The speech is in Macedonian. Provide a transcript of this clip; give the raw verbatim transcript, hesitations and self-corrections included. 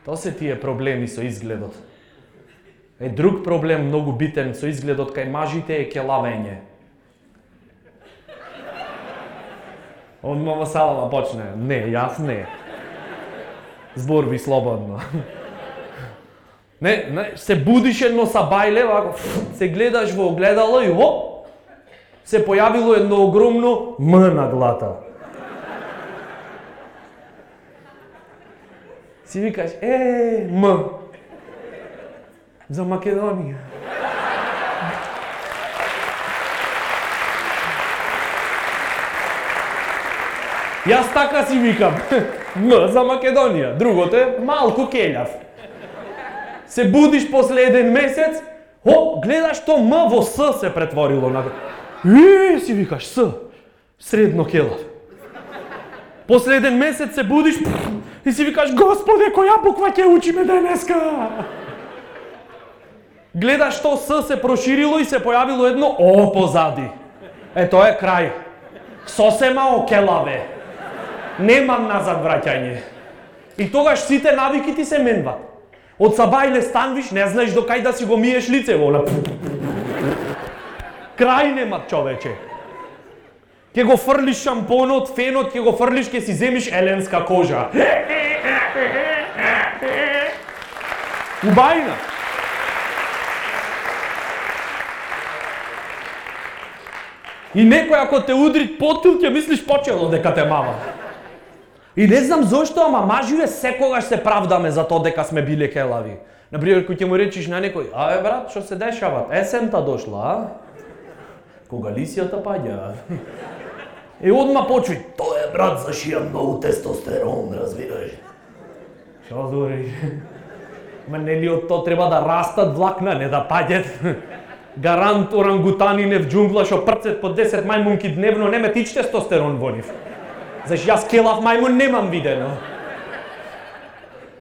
Тоа се тие проблеми со изгледот. Е друг проблем многу битен со изгледот кај мажите е келавење. Одма во салава почне. Не, јас не. Зборви слободно. Не, не, се будиш едно сабајле, вако, се гледаш во огледало и оп, се појавило едно огромно М на глата. Си викаш, е, М. За Македонија. Јас така си викам, М за Македонија, другото е малку келјав. Се будиш после еден месец, о, гледаш то М во С се претворило на... И, си викаш, С, средно келав. После еден месец се будиш и си викаш, Господе, која буква ќе учиме денеска? Гледаш то С се проширило и се појавило едно О позади. Е, тоа е крај. Сосема окелаве. Немам назад враќање. И тогаш сите навики ти се менват. Од сабајле станвиш, не знаеш до кај да си го миеш лицево. Крај нема, човече. Ке го фрлиш шампонот, фенот, ке го фрлиш, ке си земиш еленска кожа. Убајна. И некој ако те удри потил, ќе мислиш почело дека те мама. И не знам зошто, ама маживе секогаш се правдаме за тоа дека сме биле келави. Например, кој ќе му речиш на некој, а е брат, што се дешава? Есента дошла, а? Кога лисијата паѓа. И одма почуј, тоа е брат, зашија многу тестостерон, разбираш. Што збориш? Ма нели од тоа треба да растат влакна, не да паѓат? Гарант орангутанин в џунгла што прцет по десет мајмунки дневно, не ме тич тестостерон во нив. Зашто јас келав мајмун немам видено.